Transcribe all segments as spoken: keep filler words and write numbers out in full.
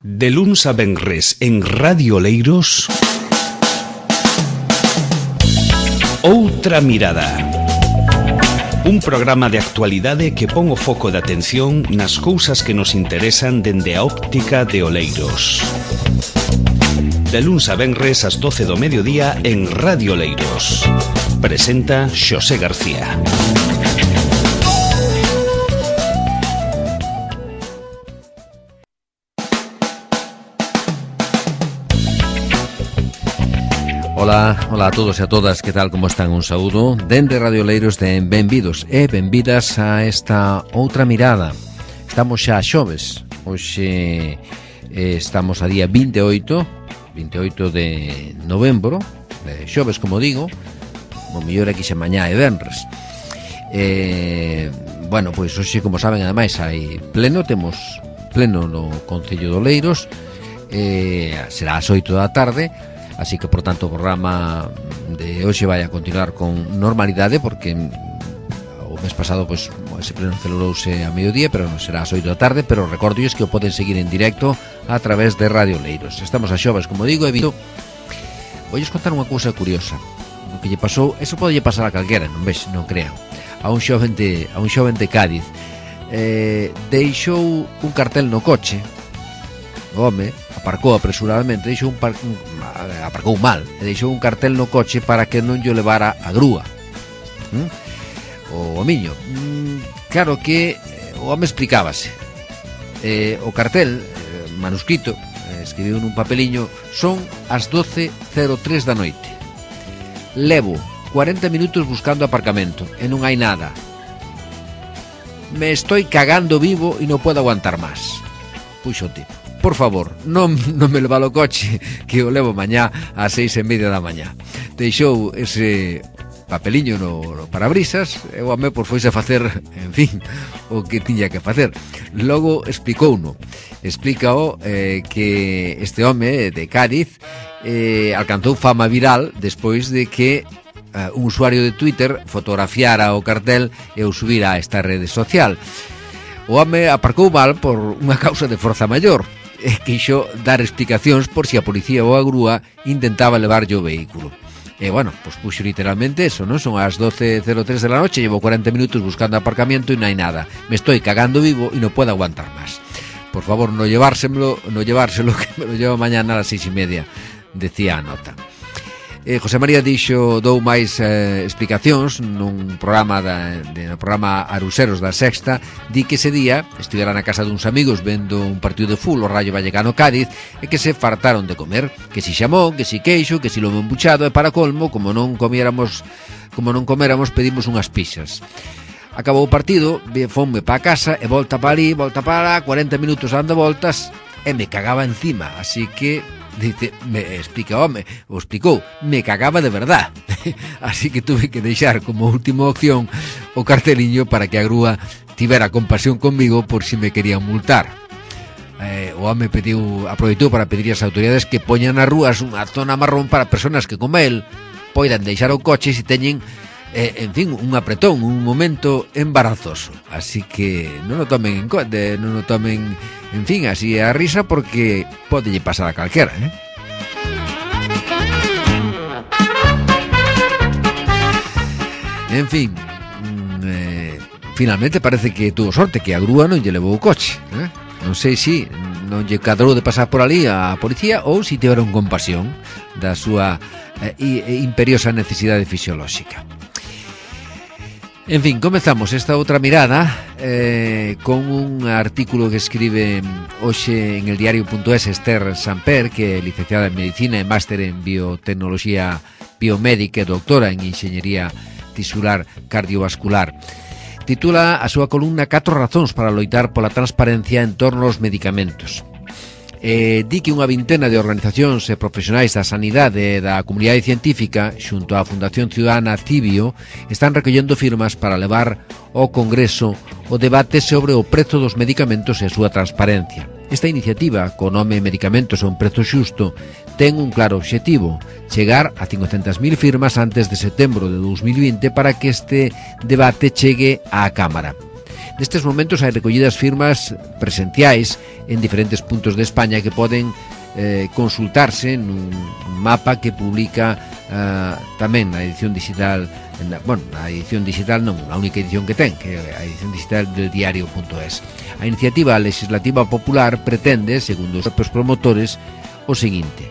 De luns a venres en Radio Oleiros, Outra Mirada. Un programa de actualidade que pon o foco de atención nas cousas que nos interesan dende a óptica de Oleiros. De luns a venres ás doce do mediodía en Radio Oleiros. Presenta Xosé García. Ola, ola a todos e a todas, que tal, como están? Un saúdo dende Radio Oleiros de benvidos e benvidas a esta Outra Mirada. Estamos xa a xoves, hoxe eh, estamos a día vinte e oito de novembro, de xoves, como digo, o mellor aquí xa mañá e venres. Eh, bueno, pois hoxe, como saben, ademais hai pleno, temos pleno no Concello de Oleiros, eh, será ás oito da tarde. Así que, por tanto, o programa de hoxe vai a continuar con normalidade, porque o mes pasado, pois, ese pleno celebrouse a mediodía, pero non será ás oito da tarde, pero recordolles que o poden seguir en directo a través de Radio Oleiros. Estamos a xoves, como digo, e vindo. Voulles contar unha cousa curiosa. O que lle pasou, eso pode lle pasar a calquera, non ves, non crean. A un xoven de, a un xoven de Cádiz. Eh, deixou un cartel no coche. O home aparcou apresuradamente, deixou un, par, un aparcou mal, e deixou un cartel no coche para que non lle levara a grúa. ¿Mm? O homiño. Mm, claro que o home explicábase. Eh, o cartel, eh, manuscrito, eh, escribiu nun papeliño, son as doce cero tres da noite. Levo cuarenta minutos buscando aparcamento e non hai nada. Me estoy cagando vivo e non podo aguantar máis. Puxo o tipo. Por favor, non, non me leva o coche, que o levo mañá ás seis e media da mañá. Deixou ese papeliño no, no parabrisas e o home por foise a facer, en fin, o que tiña que facer. Logo explicouno. Explícao eh, que este home de Cádiz eh, alcanzou fama viral despois de que eh, un usuario de Twitter fotografiara o cartel e o subira a esta rede social. O home aparcou mal por unha causa de forza maior e quixo dar explicacións por si a policía ou a grúa intentaba levarlle o vehículo. E, bueno, pois puxo literalmente eso, non? Son as doce cero tres de la noche, llevo cuarenta minutos buscando aparcamiento e non hai nada. Me estoy cagando vivo e non puedo aguantar máis. Por favor, no llevárselo, no llevárselo, que me lo llevo mañana a las seis e media, decía a nota. Eh, José María dixo, dou máis eh, explicacións nun programa da, de, no programa Aruseros da Sexta. Di que ese día estivera na casa duns amigos vendo un partido de fútbol, o Rayo Vallecano Cádiz, e que se fartaron de comer, que si xamón, que si queixo, que si lomo embuchado, e para colmo, como non comiéramos, como non coméramos, pedimos unhas pizzas. Acabou o partido, fonme pa casa e volta pa ali, volta para lá, cuarenta minutos dando voltas e me cagaba encima, así que dice, me explica, home, o explicou, me cagaba de verdad. Así que tuve que deixar como última opción o carteliño para que a grúa tivera compasión conmigo por si me querían multar. Eh, o home pediu, aproveitou para pedir ás autoridades que poñan nas rúas unha zona marrón para persoas que, como el, poidan deixar o coche se teñen, eh, en fin, un apretón, un momento embarazoso. Así que non o tomen en conta, non o tomen, en fin, así a risa, porque pode lle pasar a calquera, eh? En fin, eh, finalmente parece que tuvo sorte, que a grúa non lle levou o coche, eh? Non sei se non lle cadrou de pasar por ali a policía ou se tiveron compasión da súa eh, imperiosa necesidade fisiolóxica. En fin, comezamos esta outra mirada eh, con un artículo que escribe hoxe en el diario punto es Esther Samper, que é licenciada en Medicina e máster en Biotecnoloxía Biomédica e doctora en Enxeñería Tisular Cardiovascular. Titula a súa columna Catro razóns para loitar pola transparencia en torno aos medicamentos. Eh, di que unha vintena de organizacións e profesionais da sanidade e da comunidade científica xunto á Fundación Ciudadana Cibio están recollendo firmas para levar ao Congreso o debate sobre o prezo dos medicamentos e a súa transparencia. Esta iniciativa, co nome Medicamentos a un prezo xusto, ten un claro obxectivo: chegar a cincocentas mil firmas antes de setembro de dous mil vinte para que este debate chegue á Cámara. Nestes momentos hai recollidas firmas presenciais en diferentes puntos de España que poden eh, consultarse nun mapa que publica eh, tamén na edición digital, na, bueno, na edición digital non, a única edición que ten, que é a edición digital del diario punto es. A iniciativa legislativa popular pretende, segundo os propios promotores, o seguinte: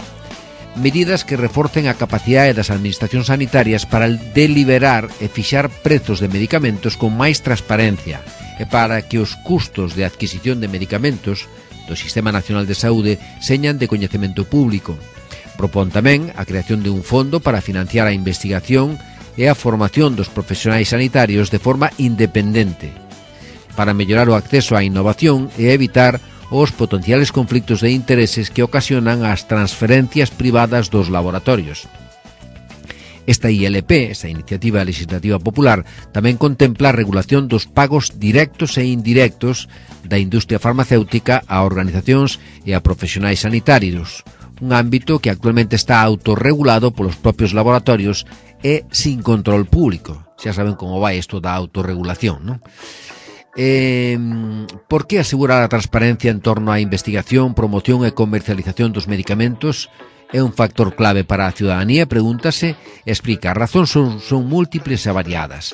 medidas que reforcen a capacidade das administracións sanitarias para deliberar e fixar prezos de medicamentos con máis transparencia e para que os custos de adquisición de medicamentos do Sistema Nacional de Saúde señan de coñecemento público. Propón tamén a creación de un fondo para financiar a investigación e a formación dos profesionais sanitarios de forma independente, para mellorar o acceso á innovación e evitar os potenciales conflictos de intereses que ocasionan as transferencias privadas dos laboratorios. Esta I L P, esta Iniciativa Legislativa Popular, tamén contempla a regulación dos pagos directos e indirectos da industria farmacéutica a organizacións e a profesionais sanitarios, un ámbito que actualmente está autorregulado polos propios laboratorios e sin control público. Xa saben como vai isto da autorregulación, non? Eh, por que asegurar a transparencia en torno á investigación, promoción e comercialización dos medicamentos é un factor clave para a ciudadanía? Pregúntase e explica. As razóns son, son múltiples e variadas.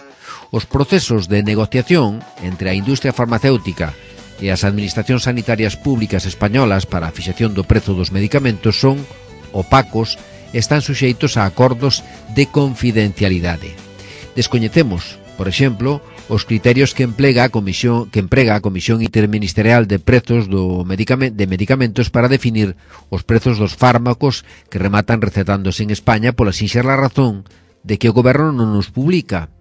Os procesos de negociación entre a industria farmacéutica e as administracións sanitarias públicas españolas para a fixación do prezo dos medicamentos son opacos e están suxeitos a acordos de confidencialidade. Descoñecemos, por exemplo, os criterios que emprega a Comisión que emprega a Comisión Interministerial de Prezos do medicament, de Medicamentos para definir os prezos dos fármacos que rematan recetándose en España pola sinxela razón de que o goberno non nos publica.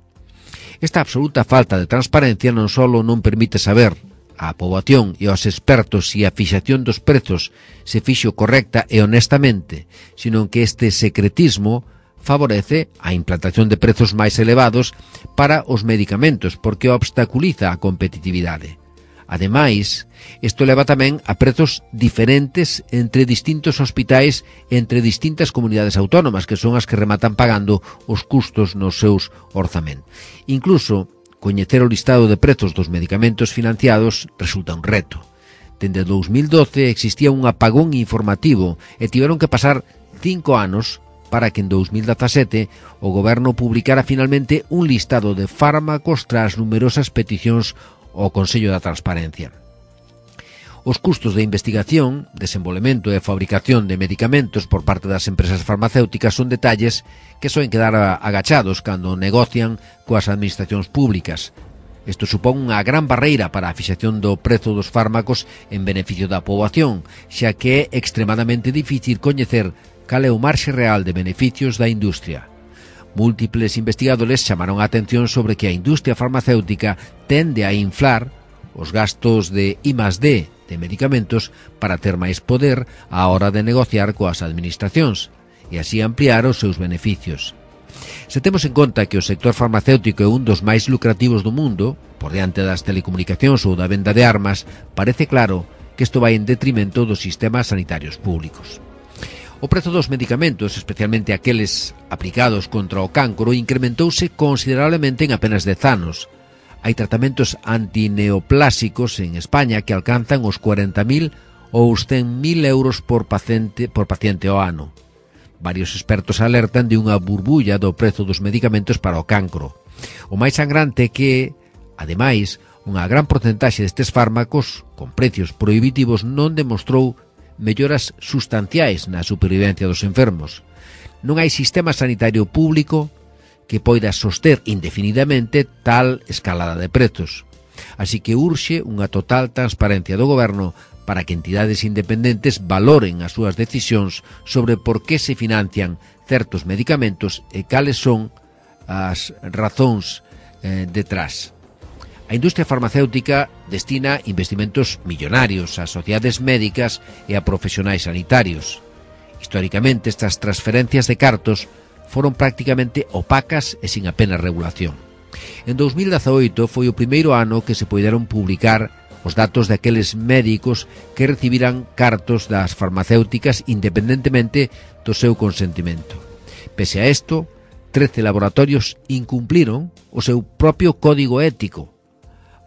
Esta absoluta falta de transparencia non só non permite saber á poboación e aos expertos se a fixación dos prezos se fixo correcta e honestamente, sino que este secretismo favorece a implantación de prezos máis elevados para os medicamentos porque obstaculiza a competitividade. Ademais, isto leva tamén a prezos diferentes entre distintos hospitais e entre distintas comunidades autónomas, que son as que rematan pagando os custos nos seus orzamentos. Incluso, coñecer o listado de prezos dos medicamentos financiados resulta un reto. Dende dous mil doce existía un apagón informativo e tiveron que pasar cinco anos para que en dous mil dezasete o goberno publicara finalmente un listado de fármacos tras numerosas peticións ao Consello da Transparencia. Os custos de investigación, desenvolvemento e fabricación de medicamentos por parte das empresas farmacéuticas son detalles que soen quedar agachados cando negocian coas administracións públicas. Isto supón unha gran barreira para a fixación do prezo dos fármacos en beneficio da poboación, xa que é extremadamente difícil coñecer cal é o marxe real de beneficios da industria. Múltiples investigadores chamaron a atención sobre que a industria farmacéutica tende a inflar os gastos de I más D de medicamentos para ter máis poder á hora de negociar coas administracións e así ampliar os seus beneficios. Se temos en conta que o sector farmacéutico é un dos máis lucrativos do mundo, por diante das telecomunicacións ou da venda de armas, parece claro que isto vai en detrimento dos sistemas sanitarios públicos. O prezo dos medicamentos, especialmente aqueles aplicados contra o cancro, incrementouse considerablemente en apenas dez anos. Hai tratamentos antineoplásicos en España que alcanzan os cuarenta mil ou os cen mil euros por paciente, por paciente ao ano. Varios expertos alertan de unha burbulla do prezo dos medicamentos para o cancro. O máis sangrante é que, ademais, unha gran porcentaxe destes fármacos, con precios prohibitivos, non demostrou melloras sustanciais na supervivencia dos enfermos. Non hai sistema sanitario público que poida soster indefinidamente tal escalada de prezos. Así que urxe unha total transparencia do goberno para que entidades independentes valoren as súas decisións sobre por que se financian certos medicamentos e cales son as razóns eh, detrás. A industria farmacéutica destina investimentos millonarios a sociedades médicas e a profesionais sanitarios. Históricamente, estas transferencias de cartos foron prácticamente opacas e sin apenas regulación. En dous mil dezaoito foi o primeiro ano que se poideron publicar os datos daqueles médicos que recibiran cartos das farmacéuticas independentemente do seu consentimento. Pese a isto, trece laboratorios incumpliron o seu propio código ético,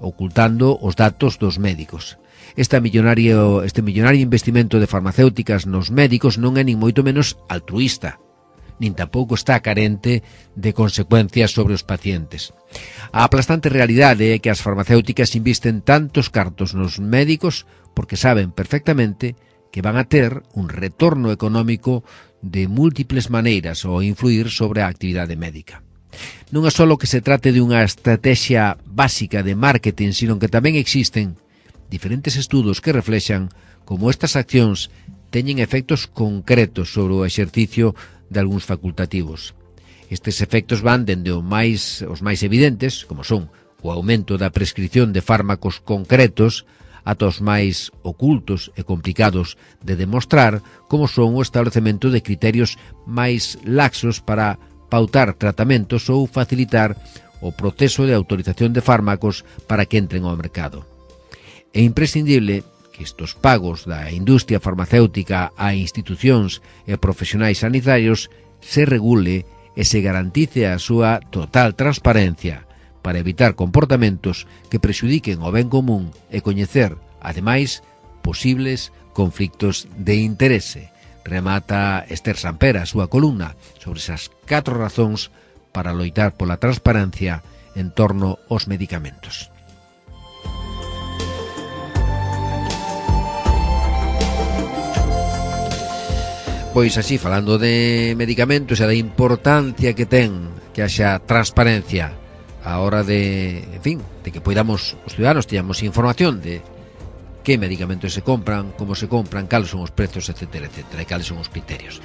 ocultando os datos dos médicos. Esta millonario, este millonario investimento de farmacéuticas nos médicos non é nin moito menos altruísta, nin tampouco está carente de consecuencias sobre os pacientes. A aplastante realidade é que as farmacéuticas invisten tantos cartos nos médicos porque saben perfectamente que van a ter un retorno económico de múltiples maneiras ao influir sobre a actividade médica. Non é só que se trate de unha estrategia básica de marketing, sino que tamén existen diferentes estudos que reflexan como estas accións teñen efectos concretos sobre o exercicio de algúns facultativos. Estes efectos van dende o máis, os máis evidentes, como son o aumento da prescripción de fármacos concretos, ata os máis ocultos e complicados de demostrar, como son o establecemento de criterios máis laxos para pautar tratamentos ou facilitar o proceso de autorización de fármacos para que entren ao mercado. É imprescindible que estes pagos da industria farmacéutica a institucións e profesionais sanitarios se regule e se garantice a súa total transparencia para evitar comportamentos que prexudiquen o ben común e coñecer, ademais, posibles conflictos de interese. Remata Esther Sampera a súa columna sobre esas catro razóns para loitar pola transparencia en torno aos medicamentos. Pois así, falando de medicamentos e da importancia que ten que haxa transparencia a hora de, en fin, de que poidamos os ciudadanos teñamos información de que medicamentos se compran, como se compran, cales son os prezos, etcétera, etcétera, e cales son os criterios.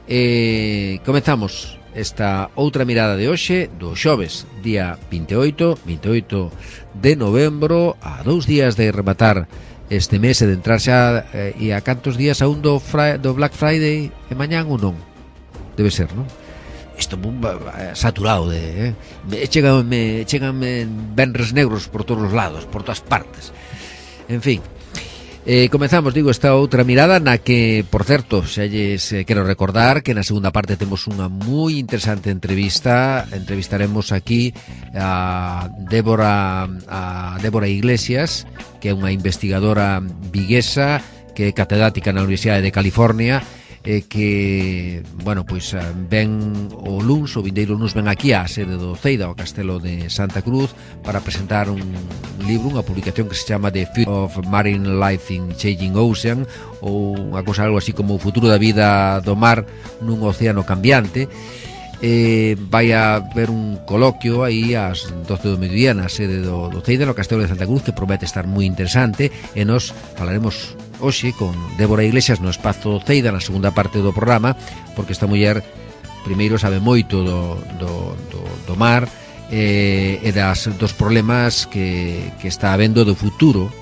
E comezamos esta outra mirada de hoxe, do xoves, día vinte e oito, vinte e oito de novembro, a dous días de rematar este mes e de entrar xa eh, e a cantos días aún do, fri, do Black Friday e mañán ou non? Debe ser, non? Isto é saturado de... Eh? Me, chegan, me, chegan me venres negros por todos os lados, por todas partes. En fin, eh, comezamos, digo, esta outra mirada na que, por certo, xa lles eh, quero recordar que na segunda parte temos unha moi interesante entrevista. Entrevistaremos aquí a Débora, a Débora Iglesias, que é unha investigadora viguesa, que é catedrática na Universidade de California, e que, bueno, pois ven o luns, o vindeiro luns ven aquí á sede do Ceida, ao Castelo de Santa Cruz, para presentar un libro, unha publicación que se chama The Future of Marine Life in Changing Ocean, ou unha cosa algo así como o futuro da vida do mar nun océano cambiante. Eh, vai a haber un coloquio aí ás doce do mediodía na sede do, do Ceida, no Castelo de Santa Cruz, que promete estar moi interesante, e nos falaremos hoxe con Débora Iglesias no espazo Ceida na segunda parte do programa, porque esta muller primeiro sabe moito do, do, do, do mar eh, e das, dos problemas que, que está habendo do futuro,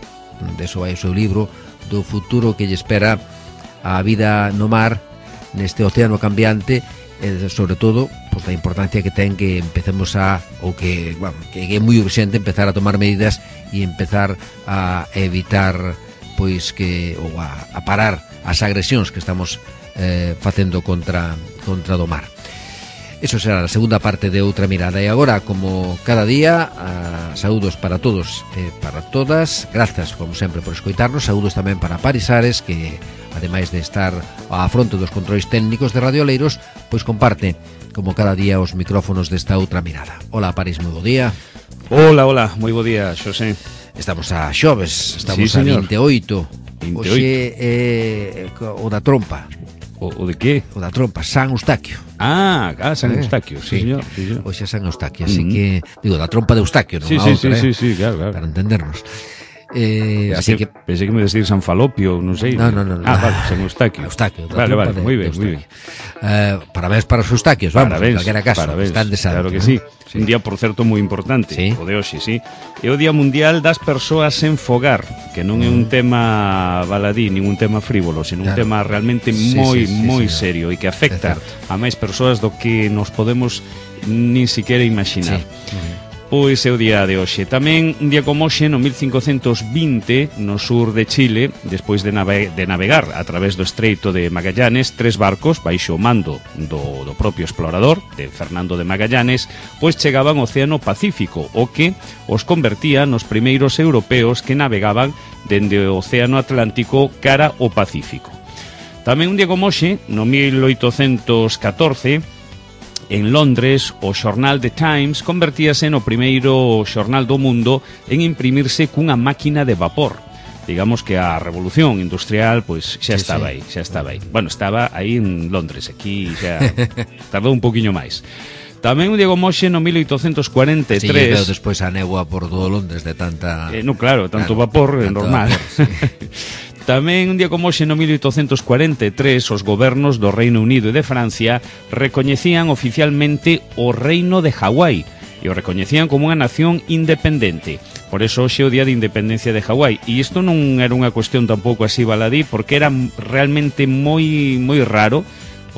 de eso vai o seu libro, do futuro que lle espera a vida no mar neste océano cambiante, e sobre todo pois, da importancia que ten que empecemos a, ou que, bueno, que é moi urxente empezar a tomar medidas e empezar a evitar pois que ou a, a parar as agresións que estamos eh, facendo contra, contra do mar. Eso será a segunda parte de outra mirada. E agora, como cada día, a, saúdos para todos e para todas. Grazas, como sempre, por escoitarnos. Saúdos tamén para Paris Ares, que ademais de estar á fronte dos controis técnicos de Radio Oleiros, pois comparte, como cada día, os micrófonos desta outra mirada. Hola, Paris, moi bo día. Hola, hola, moi bo día, Xosé. Estamos a xoves, estamos sí, a vinte e oito. vinte e oito. Oxe é o da trompa. O, o de que? O da trompa, San Eustaquio. Ah, ah San eh? Eustaquio, sí, sí, señor, sí, señor. Oxe é San Eustaquio, así uh-huh. que digo, da trompa de Eustaquio, non sí, a sí, outra, sí, eh? sí, sí, claro, claro. Para entendernos. Eh, pensé así que, que pensé que me decir San Falopio, non sei. No, no, no. Ah, vale, San Eustaquio. Eustaquio, vale, vale, moi ben, moi ben. Eh, parabéns para os Eustaquios, vamos, parabéns, en calquera caso, parabéns, están de santo. Claro que ¿no? sí. sí. Un día, por certo, moi importante, sí. o de hoxe, sí. É o Día Mundial das Persoas sen Fogar, que non é un tema baladí, nin un tema frívolo, sino claro. un tema realmente sí, moi, sí, sí, moi sí, serio e que afecta a máis persoas do que nos podemos nin siquiera imaginar. Sí. Uh-huh. Pois é o día de hoxe. Tamén un día como hoxe, no mil cincocentos vinte, no sur de Chile, despois de, nave de navegar a través do Estreito de Magallanes, tres barcos, baixo o mando do, do propio explorador, de Fernando de Magallanes, pois chegaban ao Océano Pacífico, o que os convertía nos primeiros europeos que navegaban dende o Océano Atlántico cara ao Pacífico. Tamén un día como hoxe, no mil oitocentos catorce, en Londres, o xornal The Times convertíase no primeiro xornal do mundo en imprimirse cunha máquina de vapor. Digamos que a revolución industrial pois xa sí, estaba sí. aí, xa estaba aí. Bueno, estaba aí en Londres, aquí xa tardou un poquinho máis. Tamén un día como hoxe, no mil oitocentos cuarenta e tres... Si, veo despois a negua por todo Londres de tanta... Eh, no, claro, tanto claro, vapor, é normal. Vapor, sí. Tamén un día como hoxe, no mil oitocentos cuarenta e tres, os gobernos do Reino Unido e de Francia recoñecían oficialmente o Reino de Hawái e o recoñecían como unha nación independente. Por eso hoxe é o día de independencia de Hawái. E isto non era unha cuestión tampouco así baladí, porque era realmente moi moi raro,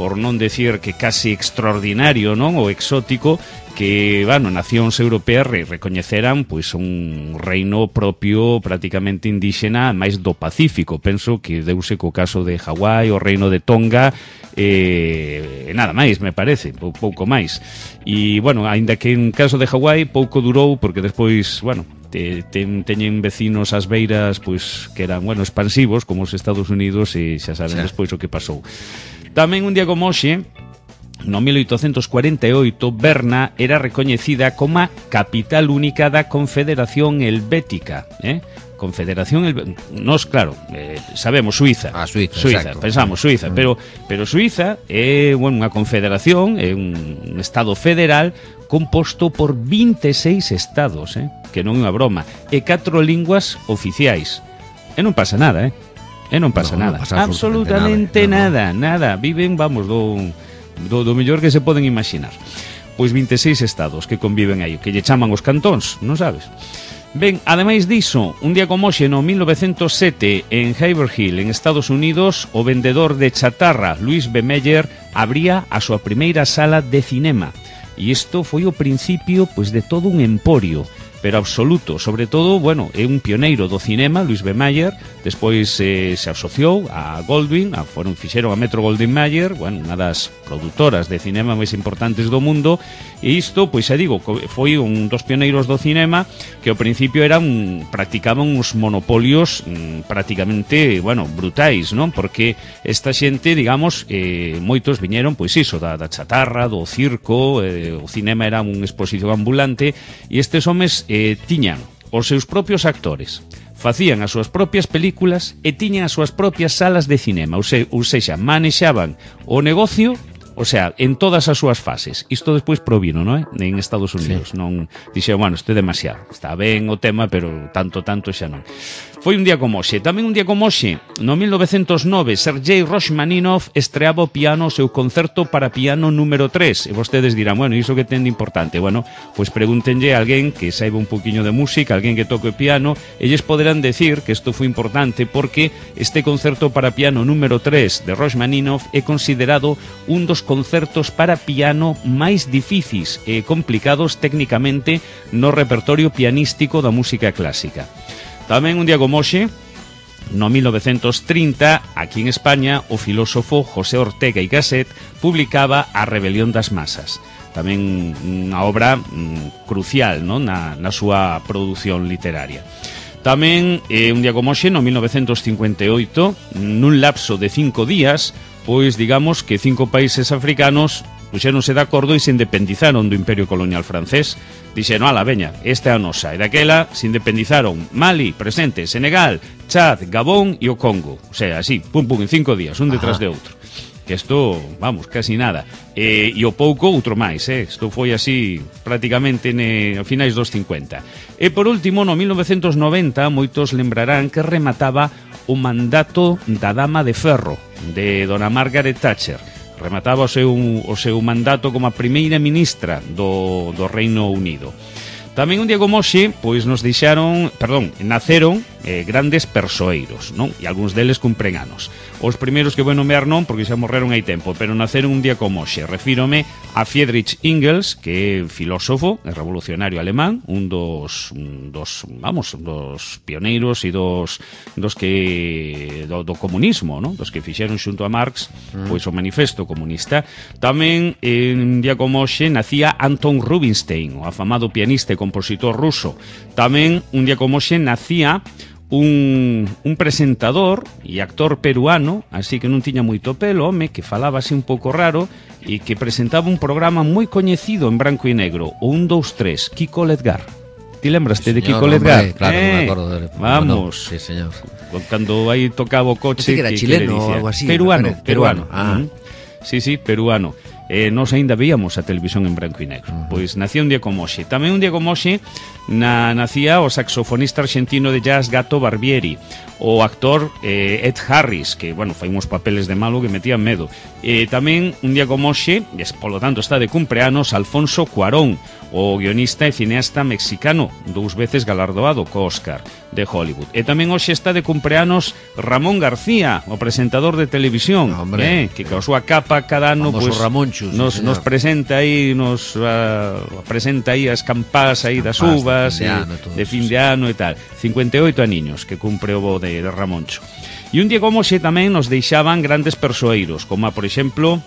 por non decir que casi extraordinario, non, ou exótico, que, bueno, nacións europeas re recoñeceran pois un reino propio prácticamente indíxena máis do Pacífico. Penso que deuse co caso de Hawái, o reino de Tonga, e eh, nada máis, me parece, pou, pouco máis. E, bueno, aínda que en caso de Hawái pouco durou, porque despois, bueno, te, te, teñen vecinos ás beiras pois que eran, bueno, expansivos, como os Estados Unidos, e xa saben sí. despois o que pasou. Tamén un día como hoxe, no mil oitocentos cuarenta e oito, Berna era recoñecida como a capital única da Confederación Helvética, eh? Confederación Helvética. Nos, claro, eh, sabemos Suiza. Ah, Suiza, Suiza, exacto. Pensamos Suiza, mm. pero pero Suiza é, bueno, unha confederación, é un estado federal composto por vinte e seis estados, eh? Que non é unha broma, e catro linguas oficiais. E non pasa nada, eh? E non pasa no, nada. No pasa absolutamente nada. nada, nada. Viven, vamos, do... Do, do mellor que se poden imaginar. Pois vinte e seis estados que conviven aí, que lle chaman os cantóns, non sabes? Ben, ademais diso, un día como hoxe, no mil novecentos sete, en Haverhill, en Estados Unidos, o vendedor de chatarra Louis B. Mayer abría a súa primeira sala de cinema. E isto foi o principio, pois, de todo un emporio, pero absoluto. Sobre todo, bueno, é un pioneiro do cinema, Louis B. Mayer. Despois eh, se asociou a Goldwyn, a, foron, fixeron a Metro-Goldwyn-Mayer, bueno, unha das produtoras de cinema máis importantes do mundo, e isto, pois xa digo, foi un dos pioneiros do cinema que ao principio eran, practicaban uns monopolios mm, prácticamente, bueno, brutais, non? Porque esta xente, digamos, eh, moitos viñeron, pois iso, da, da chatarra, do circo, eh, o cinema era unha exposición ambulante, e estes homes eh, tiñan os seus propios actores, facían as súas propias películas e tiñan as súas propias salas de cinema, ou, se, ou sexa, manexaban o negocio, o sea, en todas as súas fases. Isto despois provino, non é? En Estados Unidos. Sí. Non dixeron, bueno, isto é demasiado. Está ben o tema, pero tanto, tanto xa non. Foi un día como hoxe. Tamén un día como hoxe, no mil novecentos nove, Sergei Rachmaninoff estreaba o piano o seu concerto para piano número tres. E vostedes dirán, bueno, iso que ten de importante? Bueno, pois pregúntenlle a alguén que saiba un poquinho de música, alguén que toque o piano, e lles poderán decir que isto foi importante porque este concerto para piano número tres de Rachmaninoff é considerado un dos concertos para piano máis difíciles e complicados técnicamente no repertorio pianístico da música clásica. Tamén un día como hoxe, no mil novecentos trinta, aquí en España, o filósofo José Ortega y Gasset publicaba A rebelión das masas. Tamén unha obra mm, crucial, non? Na, na súa produción literaria. Tamén, eh, un día como hoxe, no mil novecentos cincuenta e oito, nun lapso de cinco días, pois digamos que cinco países africanos puxéronse de acordo e se independizaron do Imperio Colonial francés. Dixeron, ala, veña, esta é a nosa. E daquela se independizaron Mali, presente, Senegal, Chad, Gabón e o Congo. O sea, así, pum, pum, en cinco días, un detrás de outro. Que isto, vamos, casi nada. E, e o pouco, outro máis, eh? Isto foi así prácticamente ne, a finais dos cincuenta. E por último, no mil novecentos noventa, moitos lembrarán que remataba o mandato da Dama de Ferro, de dona Margaret Thatcher. Remataba o seu, o seu mandato como a primeira ministra do, do Reino Unido. Tamén un día como hoxe, pois nos deixaron, perdón, naceron eh, grandes persoeiros, non? E algúns deles cumpren anos. Os primeiros que vou nomear non, porque xa morreron hai tempo, pero naceron un día como hoxe. Refírome a Friedrich Engels, que é filósofo e revolucionario alemán, un dos, un dos vamos, dos pioneiros e dos, dos que do, do comunismo, non? Dos que fixeron xunto a Marx, mm. pois o manifesto comunista. Tamén, en un día como hoxe, nacía Anton Rubinstein, o afamado pianista e compositor ruso. Tamén, un día como hoxe, nacía un, un presentador e actor peruano, así que non tiña moito pelo, home, que falaba así un pouco raro e que presentaba un programa moi coñecido en branco e negro, o un, dous, tres, Kiko Ledgar. Ti lembraste de Kiko Ledgar? Hombre, claro, eh, me acordo de... Vamos. No, sí, señor. Cando aí tocaba o coche... Que era que, chileno que ou algo así. Peruano, peruano. peruano. Ah. Uh -huh. Sí, sí, peruano. Eh, nos aínda víamos a televisión en branco e negro. Uh -huh. Pois nacía un día como hoxe. Tamén un día como hoxe na, nacía o saxofonista argentino de jazz Gato Barbieri, o actor eh, Ed Harris, que, bueno, fai uns papeles de malo que metían medo. Eh, tamén un día como hoxe, e polo tanto está de cumpleanos, Alfonso Cuarón, o guionista e cineasta mexicano, dous veces galardoado co Oscar de Hollywood. E tamén hoxe está de cumpleanos Ramón García, o presentador de televisión, eh, que ca súa capa cada ano pues, nos, sí, nos presenta aí nos uh, presenta aí as campás aí das uvas de fin de, ano, eh, de fin de ano e tal. cincuenta e oito aniños que cumpre o bo de, de Ramoncho. E un día como hoxe tamén nos deixaban grandes persoeiros, como a, por exemplo,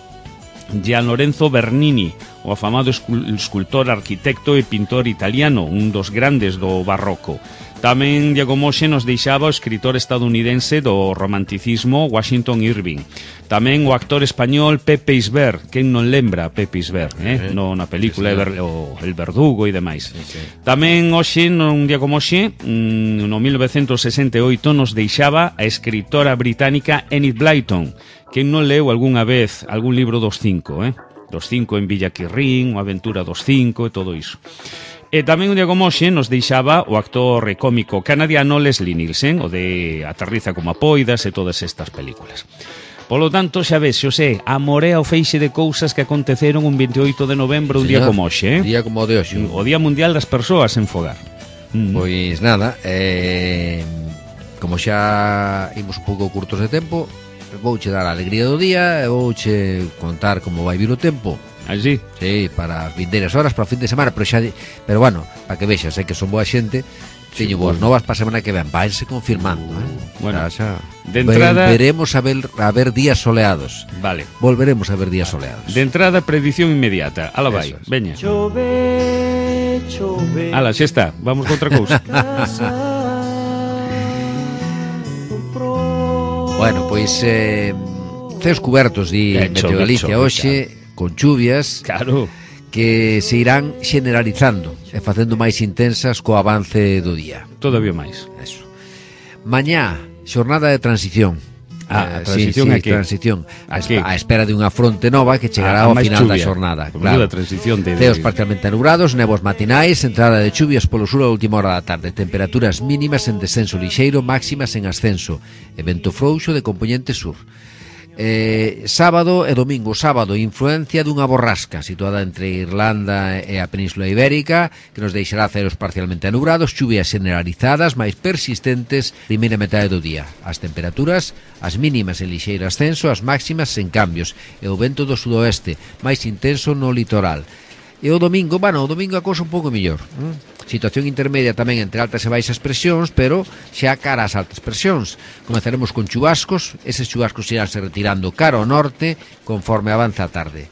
Gian Lorenzo Bernini, o afamado escultor, arquitecto e pintor italiano, un dos grandes do barroco. Tamén Diego Moxe nos deixaba o escritor estadounidense do romanticismo Washington Irving. Tamén o actor español Pepe Isbert, quen non lembra Pepe Isbert, eh? no, na película sí, o El Verdugo e demais. Sí, sí. Tamén hoxe, nun día como hoxe, no mil novecentos sesenta e oito, nos deixaba a escritora británica Enid Blyton, quen non leu algunha vez algún libro dos cinco, eh? Dos cinco en Villa Quirrín, o Aventura dos cinco e todo iso. E tamén un día como hoxe nos deixaba o actor e cómico canadiano Leslie Nielsen, o de Aterriza como a Poidas e todas estas películas. Polo tanto, xa ves, Xosé, amorea o feixe de cousas que aconteceron un veintioito de novembro, un día como hoxe, eh? Día como o de hoxe. O Día Mundial das Persoas en Fogar. Mm. Pois nada, eh, como xa imos un pouco curtos de tempo, vouche dar a alegría do día e vouche contar como vai vir o tempo. Así? Sí, para as vindeiras horas, para o fin de semana, pero xa, pero bueno, para que vexas, sei que son boa xente, teño sí, boas novas para a semana que ven, vaise confirmando, eh? Bueno, xa, de entrada volveremos a ver, a ver días soleados. Vale. Volveremos a ver días soleados. De entrada, predicción inmediata. Ala vai, es. Veña. Chove, chove. Ala, xa está, vamos con outra cousa. Bueno, pois eh, ceos cubertos di Meteo Galicia hoxe, con chuvias, claro, que se irán generalizando e facendo máis intensas co avance do día. Todavía máis. Eso. Mañá, xornada de transición. Ah, a transición sí, sí, a que? transición. A, a espera de unha fronte nova que chegará ao final chuvia, da xornada. Claro. Transición de... Ceos parcialmente nubrados, nebos matinais, entrada de chuvias polo sur a última hora da tarde, temperaturas mínimas en descenso lixeiro, máximas en ascenso, e vento frouxo de compoñente sur. Eh, sábado e domingo. Sábado, influencia dunha borrasca situada entre Irlanda e a Península Ibérica, que nos deixará ceros parcialmente anubrados, chuvias generalizadas máis persistentes primeira metade do día. As temperaturas, as mínimas en lixeiro ascenso, as máximas en cambios, e o vento do sudoeste máis intenso no litoral. E o domingo, bueno, o domingo a cousa un pouco mellor, hm? Situación intermedia tamén entre altas e baixas presións, pero xa cara ás altas presións. Comezaremos con chubascos, eses chubascos iránse retirando cara ao norte conforme avanza a tarde.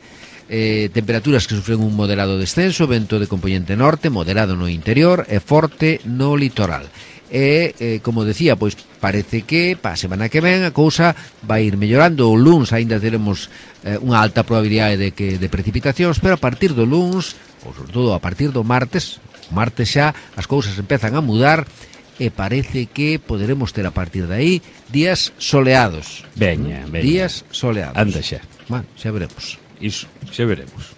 Eh, temperaturas que sufren un moderado descenso, vento de componente norte, moderado no interior e forte no litoral. E, eh, como decía, pois parece que pa semana que ven a cousa vai ir mellorando. O luns aínda teremos eh, unha alta probabilidade de, que, de precipitacións, pero a partir do luns, ou sobre todo a partir do martes, martes xa as cousas empezan a mudar e parece que poderemos ter a partir de aí días soleados. Veña, veña. Días soleados. Anda xa. Bueno, xa veremos. Iso, xa veremos.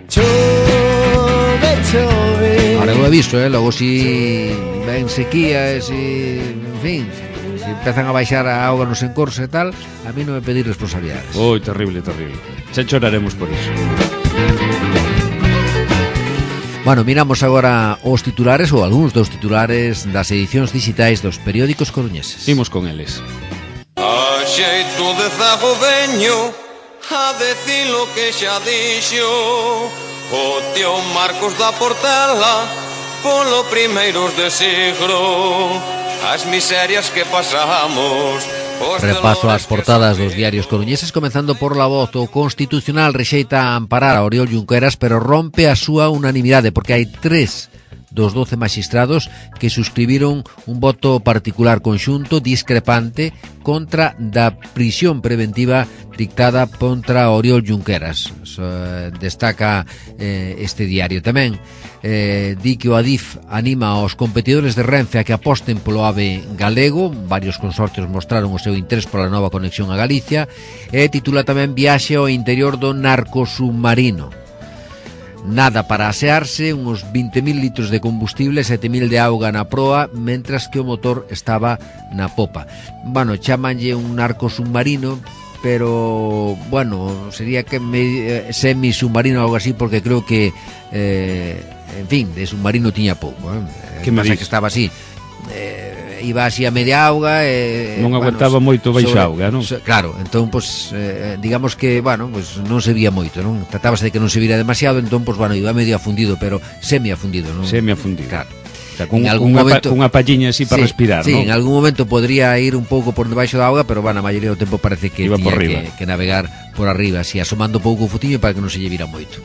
Chove, chove. Ahora eu aviso, eh, logo si ven sequía, si, en fin, si empezan a baixar a auga nos encorsos e tal, a mí non me pedir responsabilidades. Oi, terrible, terrible. Xa choraremos por iso. Bueno, miramos agora os titulares ou algúns dos titulares das edicións digitais dos periódicos coruñeses. Imos con eles. A xeito de zago veño a decir lo que xa dixo o tío Marcos da Portela polo primeiros de siglo, as miserias que pasamos. Repaso ás portadas dos diarios coruñeses, comenzando por La Voz. O Constitucional rexeita amparar a Oriol Junqueras, pero rompe a súa unanimidade, porque hai tres dos doce magistrados que suscribiron un voto particular conxunto discrepante contra da prisión preventiva dictada contra Oriol Junqueras. So, destaca eh, este diario tamén. Eh, di que o Adif anima aos competidores de Renfe a que aposten polo AVE galego. Varios consorcios mostraron o seu interés pola nova conexión a Galicia. E titula tamén Viaxe ao interior do narcosubmarino. Nada para asearse, uns vinte mil litros de combustible, sete mil de auga na proa, mentras que o motor estaba na popa. Bueno, chamanlle un narcosubmarino, pero, bueno, sería que me, eh, semi-submarino ou algo así, porque creo que, eh, en fin, de submarino tiña pouco. Eh? Que me pasa dices? Que estaba así, eh, iba así a media auga, eh, non aguantaba bueno, moito baixo auga, non? So, claro, entón, pues, eh, digamos que, bueno, pues, non se vía moito, non? Tratábase de que non se vira demasiado, entón, pues, bueno, iba medio afundido, pero semi-afundido, non? Semi-afundido. Claro. O sea, con En algún unha, momento- pa, unha palliña así para Sí, respirar, sí, non? en algún momento podría ir un pouco por debaixo da auga, pero, bueno, a maioría do tempo parece que Iba por tiña riba. que, que navegar por arriba, así, asomando pouco o futiño para que non se lle vira moito.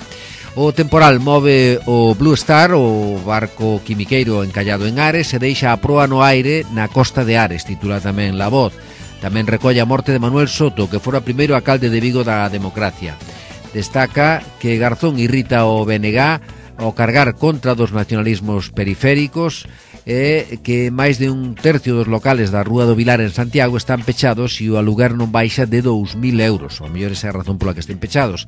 O temporal move o Blue Star, o barco quimiqueiro encallado en Ares, e deixa a proa no aire na costa de Ares, titula tamén La Voz. Tamén recolle a morte de Manuel Soto, que fora primeiro alcalde de Vigo da democracia. Destaca que Garzón irrita o B N G ao cargar contra dos nacionalismos periféricos, e que máis de un tercio dos locales da Rúa do Vilar en Santiago están pechados e o aluguer non baixa de dous mil euros. O mellor esa é a razón pola que estén pechados.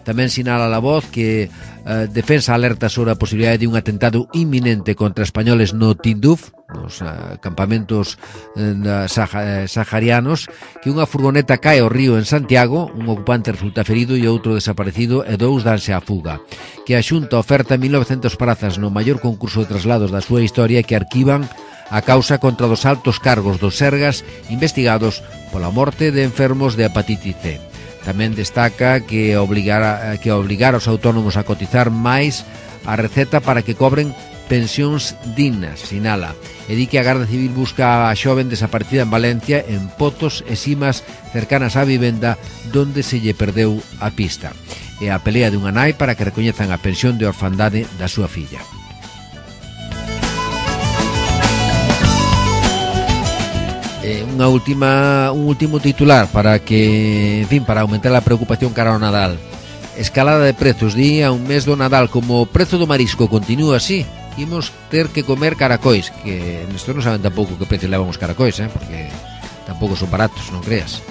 Tamén sinala La Voz que eh, defensa alerta sobre a posibilidade de un atentado inminente contra españoles no Tinduf, nos eh, campamentos eh, saha, eh, saharianos, que unha furgoneta cae ao río en Santiago, un ocupante resulta ferido e outro desaparecido e dous danse a fuga. Que a Xunta oferta mil novecientas prazas no maior concurso de traslados da súa historia, que arquivan a causa contra dos altos cargos dos Sergas investigados pola morte de enfermos de hepatitis C. Tamén destaca que obligar, que obligar aos autónomos a cotizar máis a receta para que cobren pensións dignas, sinala. E di que a Garda Civil busca a xoven desaparecida en Valencia, en Potos e Simas cercanas á vivenda donde se lle perdeu a pista. E a pelea dunha nai para que recoñezan a pensión de orfandade da súa filla. Eh, unha última, un último titular para que, en fin, para aumentar a preocupación cara ao Nadal. Escalada de prezos, di a un mes do Nadal, como o prezo do marisco continúa así, imos ter que comer caracois, que nestos non saben tampouco que precio levan os caracois, eh, porque tampouco son baratos, non creas.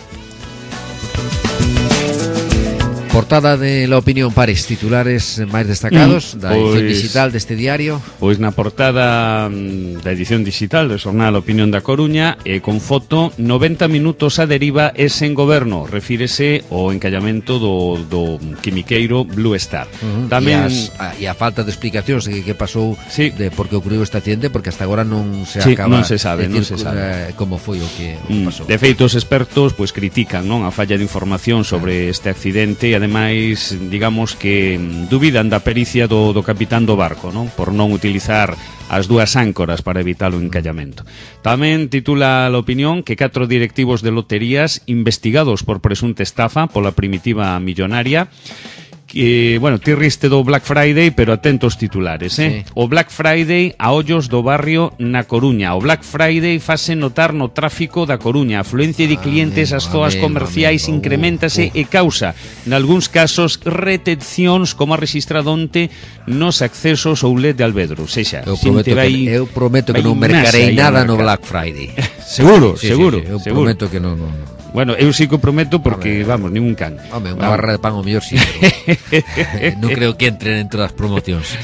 Portada de La Opinión, Pares, titulares máis destacados mm, da edición pois, digital deste diario. Pois na portada mm, da edición digital do xornal Opinión da Coruña, e con foto, noventa minutos a deriva e sen goberno, refírese ao encallamento do, do quimiqueiro Blue Star. Uh-huh. Tamén... E, as, a, e a falta de explicacións de que, que pasou, sí, de por que ocurriu este accidente, porque hasta agora non se sí, acaba non se sabe, de non decir se sabe. Eh, como foi o que, o que Mm, pasou. de feito, os expertos pois critican, non, a falla de información sobre este accidente, e ademais digamos que mm, dubidan da pericia do, do capitán do barco, non, por non utilizar as dúas áncoras para evitar o encallamento. Tamén titula La Opinión que catro directivos de loterías investigados por presunta estafa pola primitiva millonaria. Que, bueno, ti riste do Black Friday, pero atento aos titulares, eh? Sí. O Black Friday a ollos do barrio na Coruña. O Black Friday fase notar no tráfico da Coruña. A afluencia de clientes ás zonas comerciais amigo, incrementase uh, uh. e causa, nalgúns casos, retencións, como a registrado onte nos accesos ao L E D de Alvedro. Sexa, eu prometo, vai, que, eu prometo que non mercarei nada no Black Friday. Seguro, sí, seguro. Sí, sí, eu seguro. prometo que non... non. Bueno, eu sí que prometo porque, vamos, ningún can. Home, unha barra de pan ao mellor sí, pero non creo que entren entre as promocións.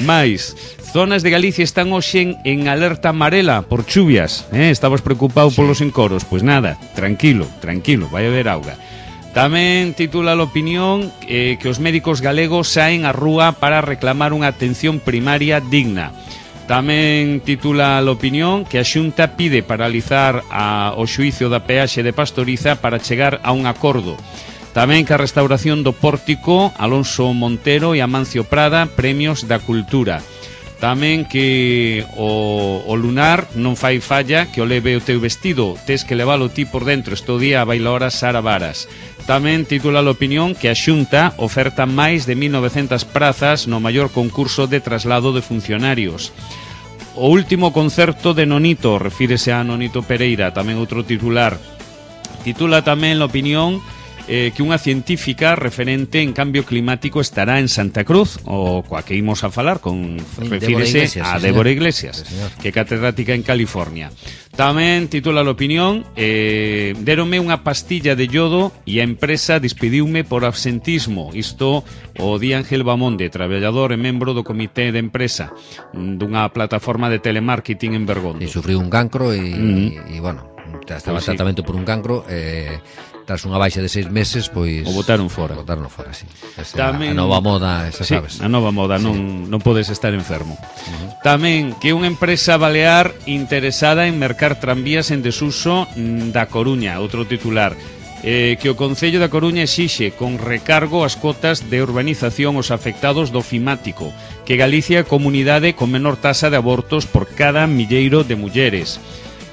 Mais, zonas de Galicia están hoxe en alerta amarela por chuvias, eh? Estabas preocupado sí. polos encoros, pois nada, tranquilo, tranquilo, vai haber auga. Tamén titula a opinión eh, que os médicos galegos saen á rúa para reclamar unha atención primaria digna. Tamén titula a opinión que a Xunta pide paralizar a, o xuízo da peaxe de Pastoriza para chegar a un acordo. Tamén que a restauración do pórtico Alonso Montero e Amancio Prada, premios da cultura. Tamén que o, o lunar non fai falla, que o leve o teu vestido, tes que levalo ti por dentro, estou día a bailaora Sara Varas. Tamén titula a opinión que a Xunta oferta máis de mil e novecentas prazas no maior concurso de traslado de funcionarios. O último concerto de Nonito, refírese a Nonito Pereira, tamén outro titular. Titula tamén a opinión Eh, que unha científica referente en cambio climático estará en Santa Cruz, o coa que imos a falar con refírese a Débora Iglesias, sí, que é catedrática en California. Tamén titula a opinión eh, déronme unha pastilla de yodo e a empresa despediume por absentismo. Isto o di Ángel Bamonde, traballador e membro do comité de empresa dunha plataforma de telemarketing en Bergondo. E sufriu un cancro e, mm. e bueno, estaba pues tratamento sí. por un cancro e... Eh, tras unha baixa de seis meses, pois... O botaron fora. O botaron fora, sí. Esa, Tamén, a nova moda, esa sí, sabes. a nova moda, sí. non, non podes estar enfermo. Uh-huh. Tamén que unha empresa balear interesada en mercar tranvías en desuso da Coruña, outro titular. Eh, que o Concello da Coruña exixe con recargo as cotas de urbanización aos afectados do fimático, que Galicia é a comunidade con menor tasa de abortos por cada milleiro de mulleres.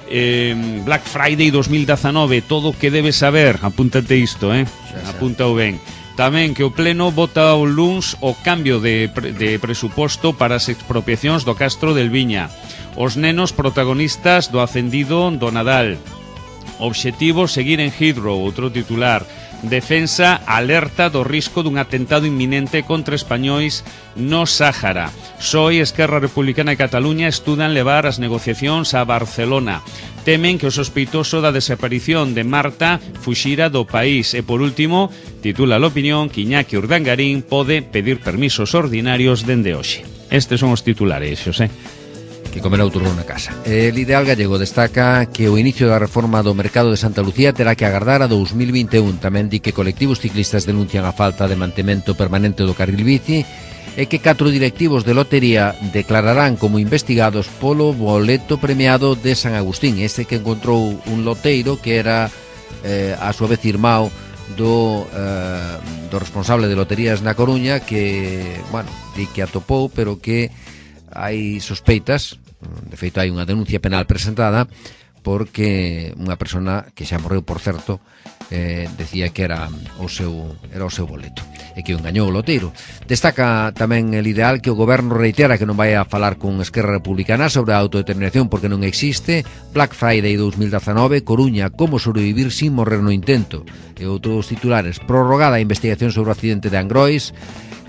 Eh, Black Friday dos mil diecinueve, todo o que debes saber, apúntate isto, eh? Apúntao ben. Tamén que o Pleno vota o luns o cambio de, pre, de presuposto para as expropiacións do Castro del Viña. Os nenos protagonistas do ascendido do Nadal. Obxectivo seguir en Heathrow, outro titular. Defensa alerta do risco dun atentado inminente contra españois no Sáhara. Soy Esquerra Republicana e Cataluña estudan levar as negociacións a Barcelona. Temen que o sospeitoso da desaparición de Marta fuxira do país. E por último, titula a opinión que Iñaki Urdangarín pode pedir permisos ordinarios dende hoxe. Estes son os titulares, Xosé. Que comerá o turno na casa. El Ideal Gallego destaca que o inicio da reforma do mercado de Santa Lucía terá que agardar a dous mil vinte e un. Tamén di que colectivos ciclistas denuncian a falta de mantemento permanente do carril bici e que catro directivos de lotería declararán como investigados polo boleto premiado de San Agustín, ese que encontrou un loteiro que era eh, a súa vez irmão do, eh, do responsable de loterías na Coruña, que, bueno, di que atopou, pero que hai sospeitas, de feito hai unha denuncia penal presentada porque unha persona que xa morreu, por certo, eh, decía que era o seu era o seu boleto e que o engañou o loteiro. Destaca tamén el Ideal que o goberno reitera que non vai a falar con Esquerra Republicana sobre a autodeterminación porque non existe. Black Friday dos mil diecinueve, Coruña, como sobrevivir sin morrer no intento. E outros titulares: prorrogada a investigación sobre o accidente de Angrois.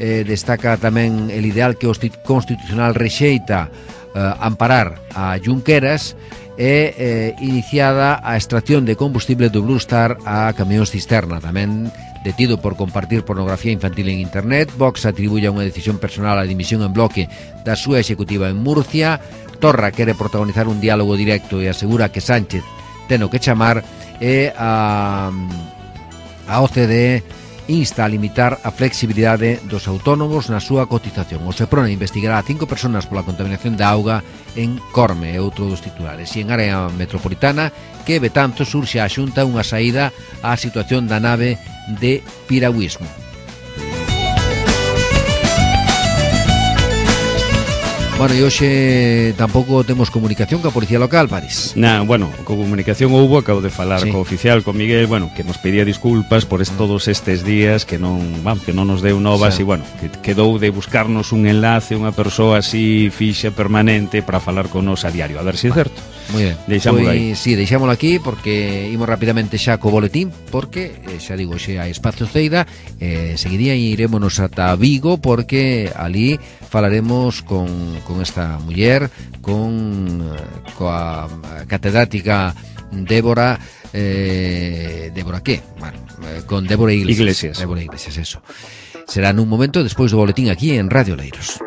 Eh, destaca tamén el Ideal que o Constitucional rexeita eh, amparar a Junqueras e eh, iniciada a extracción de combustible do Blue Star a camións cisterna. Tamén detido por compartir pornografía infantil en internet. Vox atribuye unha decisión personal a dimisión en bloque da súa executiva en Murcia. Torra quere protagonizar un diálogo directo e asegura que Sánchez ten o que chamar. E a, a O C D E insta a limitar a flexibilidade dos autónomos na súa cotización. O Seprona investigará a cinco personas pola contaminación da auga en Corme, e outro dos titulares. E en área metropolitana, que Betanzo surxe a Xunta unha saída á situación da nave de piragüismo. Bueno, e hoxe tampouco temos comunicación coa Policía Local, Paris. Na, bueno, con comunicación houbo, acabo de falar sí. co oficial, con Miguel, bueno, que nos pedía disculpas por es, todos estes días que non, vamos, que non nos deu novas, sí. E bueno, que quedou de buscarnos un enlace, unha persoa así fixa permanente para falar con nos a diario, a ver se si é certo. Moi ben. Deixámoslo pues, aí. Sí, deixámoslo aquí porque imos rapidamente xa co boletín, porque xa digo, xa hai espacio Ceida, eh, seguiría e irémonos ata Vigo porque ali falaremos con, con esta muller, con coa catedrática Débora eh, Débora que? Bueno, eh, con Débora Iglesias. Iglesias. Débora Iglesias, eso. Será nun momento despois do boletín aquí en Radio Leiros.